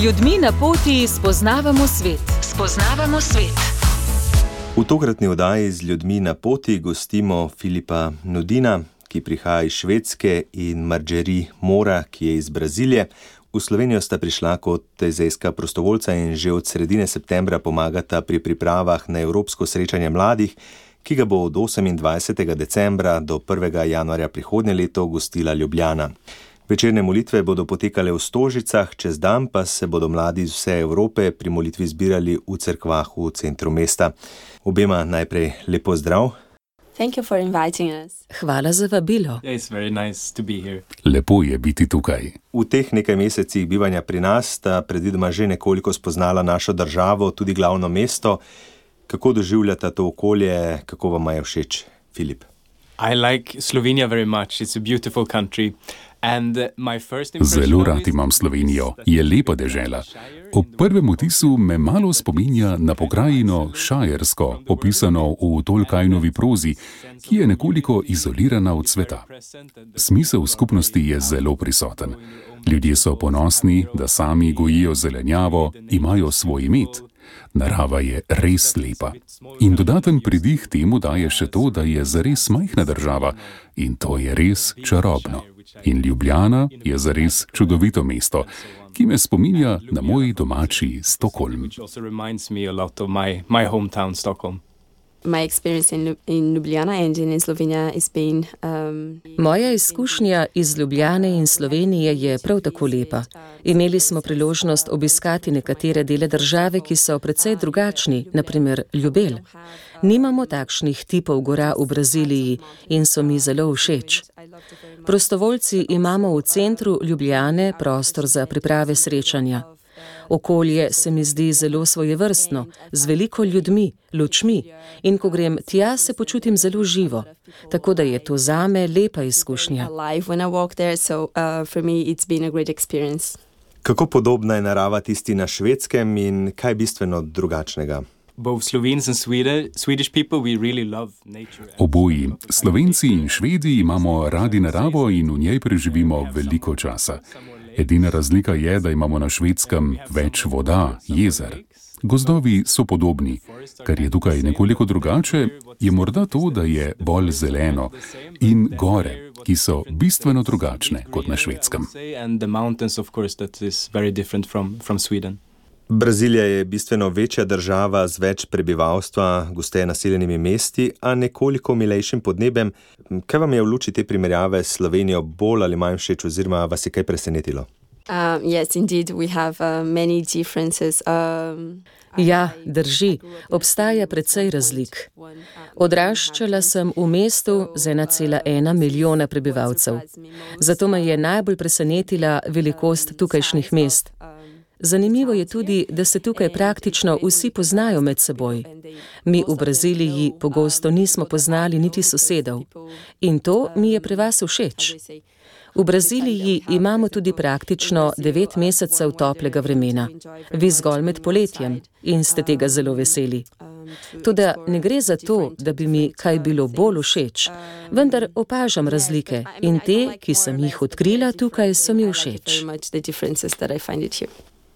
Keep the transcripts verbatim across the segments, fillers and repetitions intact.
ljudmi na poti spoznavamo svet. Spoznavamo svet. V tokratni oddaji z ljudmi na poti gostimo Filipa Nudina, ki prihaja iz Švedske, in Marjorie Mora, ki je iz Brazilije. V Slovenijo sta prišla kot tezejska prostovoljca in že od sredine septembra pomagata pri pripravah na Evropsko srečanje mladih, ki ga bo od osemindvajsetega decembra do prvega januarja prihodnje leto gostila Ljubljana. Večerne molitve bodo potekale v Stožicah, čez dan pa se bodo mladi iz vse Evrope pri molitvi zbirali v cerkvah v centru mesta. Obema najprej lepo zdrav. Thank you for inviting us. Hvala za vabilo. It's very nice to be here. Lepo je biti tukaj. V teh nekaj mesecih bivanja pri nas sta predvidoma že nekoliko spoznala našo državo, tudi glavno mesto. Kako doživljata to okolje, kako vam je všeč, Filip? I like Slovenia very much. It's a beautiful country. And my first Zelo rad imam Slovenijo. Je lepa dežela. Ob prvem vtisu me malo spominja na pokrajino Šajersko, opisano v Tolkienovi prozi, ki je nekoliko izolirana od sveta. Smisel skupnosti je zelo prisoten. Ljudje so ponosni, da sami gojijo zelenjavo, imajo svoj med. Narava je res lepa. In dodaten pridih temu daje še to, da je zares majhna država, in to je res čarobno. In Ljubljana je zares čudovito mesto, ki me spominja na moj domači Stockholm. My experience in, in Ljubljana and in Slovenia has been um, Moja izkušnja iz Ljubljane in Slovenije je prav tako lepa. Imeli smo priložnost obiskati nekatere dele države, ki so precej drugačni, na primer Ljubelj. Nimamo takšnih tipov gora v Braziliji in so mi zelo všeč. Prostovoljci imamo v centru Ljubljane prostor za priprave srečanja. Okolje se mi zdi zelo svojevrstno, z veliko ljudmi, lučmi, in ko grem tja, se počutim zelo živo. Tako da je to zame lepa izkušnja. Kako podobna je narava tisti na Švedskem in kaj je bistveno drugačnega? Oboji, Slovenci in Švedi, imamo radi naravo in v njej preživimo veliko časa. Edina razlika je, da imamo na Švedskem več voda, jezer. Gozdovi so podobni. Kar je tukaj nekoliko drugače, je morda to, da je bolj zeleno, in gore, ki so bistveno drugačne kot na Švedskem. Brazilija je bistveno večja država z več prebivalstva, gosteje naseljenimi mesti, a nekoliko milejšim podnebjem. Kaj vam je v luči te primerjave s Slovenijo bolj ali manj všeč oziroma vas je kaj presenetilo? Uh, yes, indeed, we have uh, many differences. Um, Ja, drži, obstaja precej razlik. Odraščala sem v mestu z ena cela ena milijona prebivalcev. Zato me je najbolj presenetila velikost tukajšnjih mest. Zanimivo je tudi, da se tukaj praktično vsi poznajo med seboj. Mi v Braziliji pogosto nismo poznali niti sosedov. In to mi je pri vas všeč. V Braziliji imamo tudi praktično devet mesecev toplega vremena. Vi zgolj med poletjem in ste tega zelo veseli. Toda ne gre za to, da bi mi kaj bilo bolj všeč, vendar opažam razlike in te, ki sem jih odkrila tukaj, so mi všeč.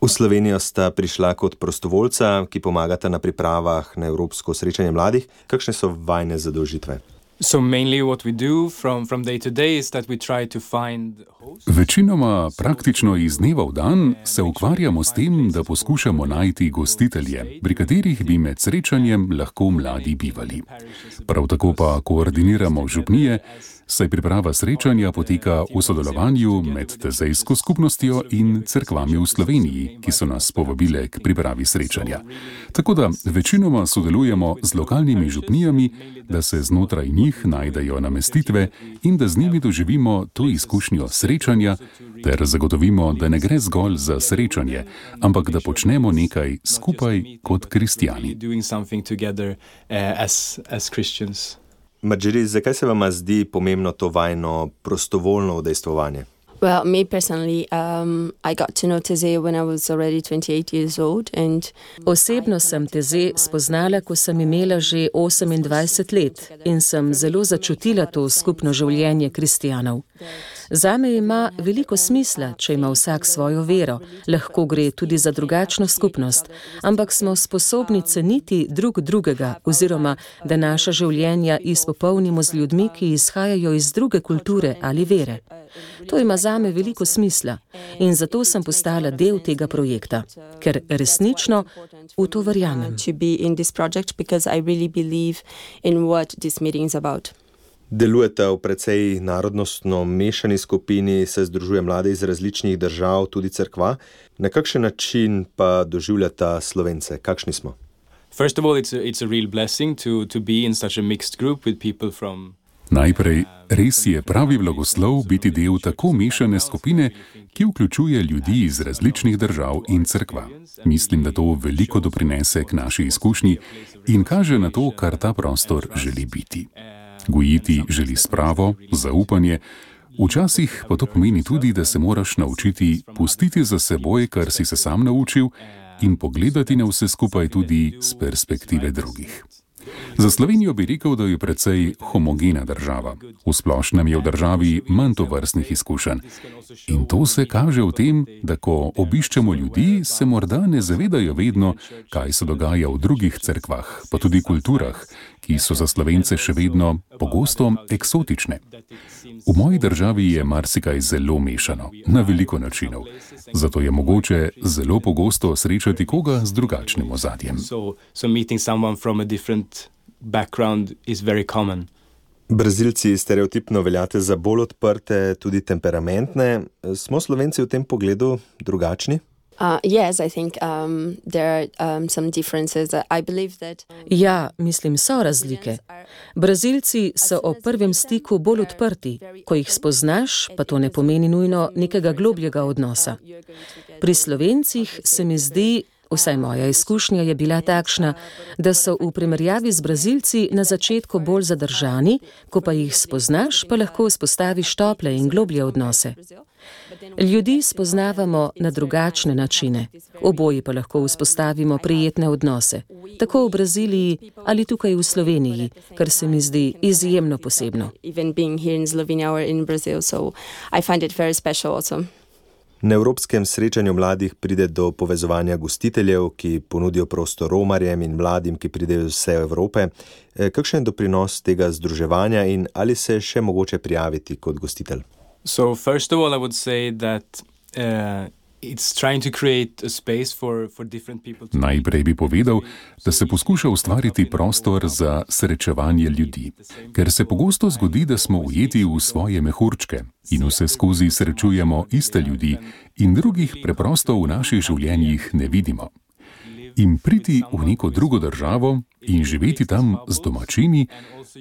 V Slovenijo sta prišla kot prostovoljca, ki pomagata na pripravah na Evropsko srečanje mladih. Kakšne so vajne zadolžitve? So mainly what we do from, from day to day is that we try to find hosts. Večinoma praktično iz dneva v dan se ukvarjamo s tem, da poskušamo najti gostitelje, pri katerih bi med srečanjem lahko mladi bivali. Prav tako pa koordiniramo župnije, saj priprava srečanja poteka v sodelovanju med tezejsko skupnostjo in cerkvami v Sloveniji, ki so nas povabile k pripravi srečanja. Tako da večinoma sodelujemo z lokalnimi župnijami, da se znotraj njih najdejo namestitve in da z njimi doživimo to izkušnjo srečanja, ter zagotovimo, da ne gre zgolj za srečanje, ampak da počnemo nekaj skupaj kot kristjani. Marjorie, zakaj se vama zdi pomembno to vajno prostovoljno udejstvovanje? Well, me personally, um, I got to know Teze when I was already twenty-eight years old. And Osebno sem Teze spoznala, ko sem imela že osemindvajset let in sem zelo začutila to skupno življenje kristjanov. Zame ima veliko smisla, če ima vsak svojo vero, lahko gre tudi za drugačno skupnost, ampak smo sposobni ceniti drug drugega oziroma, da naša življenja izpopolnimo z ljudmi, ki izhajajo iz druge kulture ali vere. To ima zame veliko smisla in zato sem postala del tega projekta, ker resnično v to verjamem. Delujete v precej narodnostno mešani skupini, se združuje mlade iz različnih držav, tudi cerkva. Na kakšen način pa doživljata Slovence? Kakšni smo? First of all, it's a, it's a real blessing to, to be in such a mixed group with people from... Najprej, res je pravi blagoslov biti del tako mešane skupine, ki vključuje ljudi iz različnih držav in cerkva. Mislim, da to veliko doprinese k naši izkušnji in kaže na to, kar ta prostor želi biti. Gojiti želi spravo, zaupanje, včasih pa to pomeni tudi, da se moraš naučiti pustiti za seboj, kar si se sam naučil, in pogledati na vse skupaj tudi z perspektive drugih. Za Slovenijo bi rekel, da je precej homogena država. V splošnem je v državi manj tovrstnih izkušenj. In to se kaže v tem, da ko obiščemo ljudi, se morda ne zavedajo vedno, kaj se dogaja v drugih cerkvah, pa tudi kulturah, ki so za Slovence še vedno pogosto eksotične. V moji državi je marsikaj zelo mešano, na veliko načinov. Zato je mogoče zelo pogosto srečati koga z drugačnim ozadjem. So, so meeting someone from a different background is very common. Brazilci stereotipno veljate za bolj odprte, tudi temperamentne. Smo Slovenci v tem pogledu drugačni? Uh, yes, I think um, there are um, some differences. I believe that... Ja, mislim, so razlike. Brazilci so ob prvem stiku bolj odprti. Ko jih spoznaš, pa to ne pomeni nujno nekega globljega odnosa. Pri Slovencih se mi zdi, vsaj moja izkušnja je bila takšna, da so v primerjavi z Brazilci na začetku bolj zadržani, ko pa jih spoznaš, pa lahko vzpostaviš tople in globlje odnose. Ljudi spoznavamo na drugačne načine, oboji pa lahko vzpostavimo prijetne odnose, tako v Braziliji ali tukaj v Sloveniji, kar se mi zdi izjemno posebno. Na Evropskem srečanju mladih pride do povezovanja gostiteljev, ki ponudijo prostor romarjem in mladim, ki pridejo iz vse Evrope. Kakšen je doprinos tega združevanja in ali se je še mogoče prijaviti kot gostitelj? So first of all, I would say that uh, it's trying to create a space for, for different people. To... Najprej bi povedal, da se poskuša ustvariti prostor za srečevanje ljudi, ker se pogosto zgodi, da smo ujeti v svoje mehurčke in vse skozi srečujemo iste ljudi in drugih preprosto v naših življenjih ne vidimo. In priti v neko drugo državo in živeti tam z domačini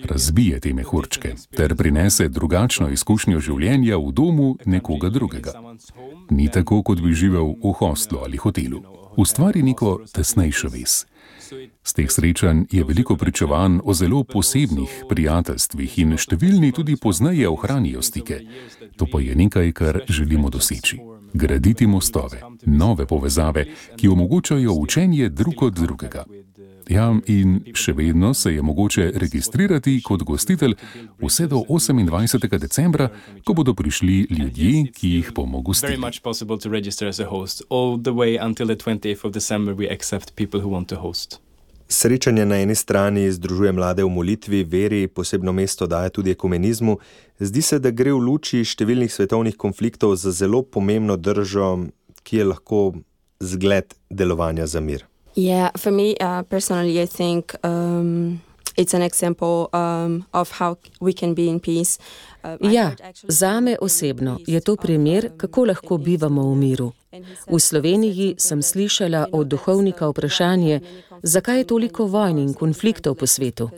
razbije te mehurčke ter prinese drugačno izkušnjo življenja v domu nekoga drugega. Ni tako, kot bi živel v hostlu ali hotelu. Ustvari neko tesnejšo vez. Z teh srečanj je veliko pričevanj o zelo posebnih prijateljstvih in številni tudi pozneje ohranijo stike. To pa je nekaj, kar želimo doseči. Graditi mostove, nove povezave, ki omogočajo učenje drug od drugega. Ja, in še vedno se je mogoče registrirati kot gostitelj vse do osemindvajsetega decembra, ko bodo prišli ljudje, ki jih bomo gostili. Srečanje na eni strani združuje mlade v molitvi, veri, posebno mesto daje tudi ekumenizmu. Zdi se, da gre v luči številnih svetovnih konfliktov za zelo pomembno držo, ki je lahko zgled delovanja za mir. Yeah, for me uh, personally, I think um, it's an example um, of how we can be in peace. Uh, ja, zame osebno je to primer, kako lahko bivamo v miru. V Sloveniji sem slišala od duhovnika vprašanje, zakaj je toliko vojn in konfliktov po svetu.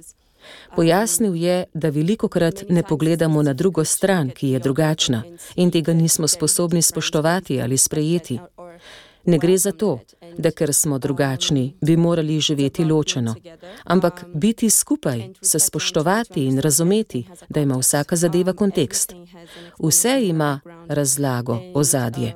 Pojasnil je, da velikokrat ne pogledamo na drugo stran, ki je drugačna, in tega nismo sposobni spoštovati ali sprejeti. Ne gre za to, da ker smo drugačni, bi morali živeti ločeno, ampak biti skupaj, se spoštovati in razumeti, da ima vsaka zadeva kontekst. Vse ima razlago, ozadje.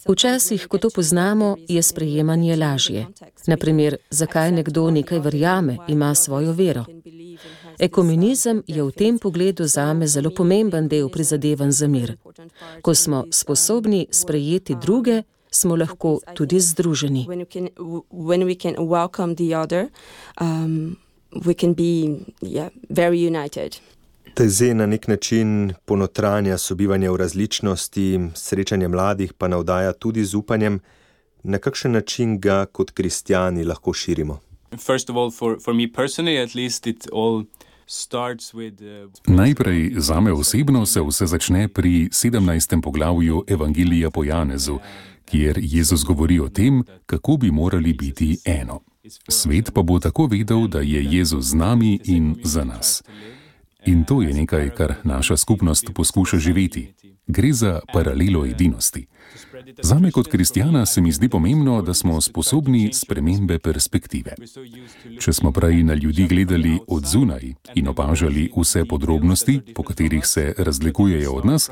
Včasih, ko to poznamo, je sprejemanje lažje. Naprimer, zakaj nekdo nekaj verjame, ima svojo vero. Ekumenizem je v tem pogledu zame zelo pomemben del prizadevanj za mir. Ko smo sposobni sprejeti druge, smo lahko tudi združeni. When we can, when we can welcome the other, um, we can be yeah, very united. Teze na nek način ponotranja sobivanja v različnosti, srečanje mladih pa navdaja tudi z upanjem, na kakšen način ga kot kristjani lahko širimo. First of all, for, for me personally, at least it all starts with, uh... Najprej zame osebno se vse začne pri sedemnajstem poglavju Evangelija po Janezu, kjer Jezus govori o tem, kako bi morali biti eno. Svet pa bo tako vedel, da je Jezus z nami in za nas. In to je nekaj, kar naša skupnost poskuša živeti. Gre za paralelo edinosti. Zame kot kristjana se mi zdi pomembno, da smo sposobni spremembe perspektive. Če smo prej na ljudi gledali od zunaj in opažali vse podrobnosti, po katerih se razlikujejo od nas,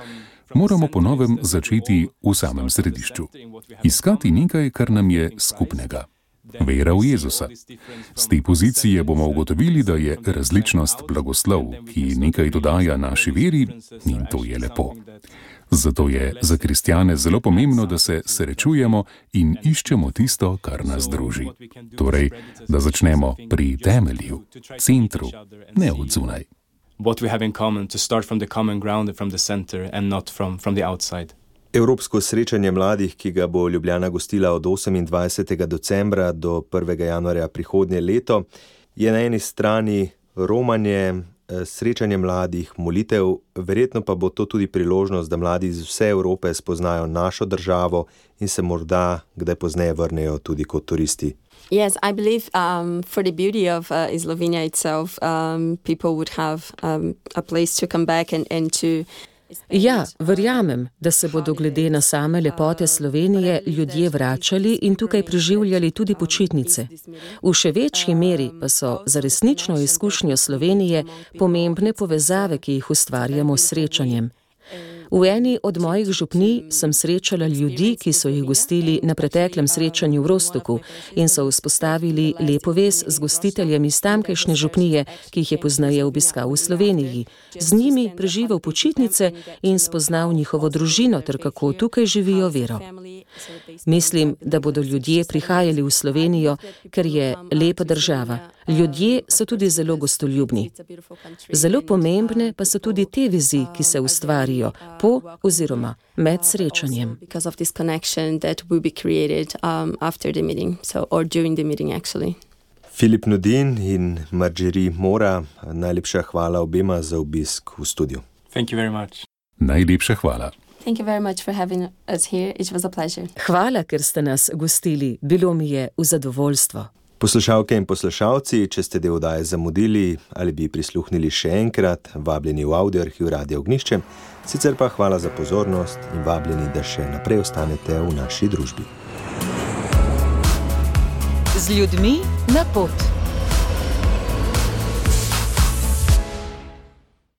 moramo po novem začeti v samem središču. Iskati nekaj, kar nam je skupnega. Vera v Jezusa. Z te pozicije bomo ugotovili, da je različnost blagoslov, ki nekaj dodaja naši veri, in to je lepo. Zato je za kristjane zelo pomembno, da se srečujemo in iščemo tisto, kar nas druži. Torej, da začnemo pri temelju, centru, ne od zunaj. What we have in common, to start from the common ground and from the center and not from, from the outside. Evropsko srečanje mladih, ki ga bo Ljubljana gostila od osemindvajsetega decembra do prvega januarja prihodnje leto, je na eni strani romanje, srečanje mladih, molitev, verjetno pa bo to tudi priložnost, da mladi iz vse Evrope spoznajo našo državo in se morda kdaj pozneje vrnejo tudi kot turisti. Yes, I believe um, for the beauty of uh, Slovenia itself, um, people would have um, a place to come back and, and to... Ja, verjamem, da se bodo glede na same lepote Slovenije ljudje vračali in tukaj preživljali tudi počitnice. V še večji meri pa so za resnično izkušnjo Slovenije pomembne povezave, ki jih ustvarjamo s srečanjem. V eni od mojih župnij sem srečala ljudi, ki so jih gostili na preteklem srečanju v Rostoku in so vzpostavili lepo vez z gostiteljem iz tamkajšnje župnije, ki jih je pozneje obiskal v Sloveniji. Z njimi preživel počitnice in spoznal njihovo družino ter kako tukaj živijo vero. Mislim, da bodo ljudje prihajali v Slovenijo, ker je lepa država. Ljudje so tudi zelo gostoljubni. Zelo pomembne pa so tudi te vezi, ki se ustvarijo po oziroma med srečanjem. Filip Nudin in Marjorie Mora, najlepša hvala obema za obisk v studiu. Thank you very much. Najlepša hvala. Thank you very much for having us here. It was a pleasure. Hvala, ker ste nas gostili. Bilo mi je v zadovoljstvo. Poslušalke in poslušalci, če ste del oddaje zamudili ali bi prisluhnili še enkrat, vabljeni v audio arhiv Radia Ognjišče, sicer pa hvala za pozornost in vabljeni, da še naprej ostanete v naši družbi. Z ljudmi na pot.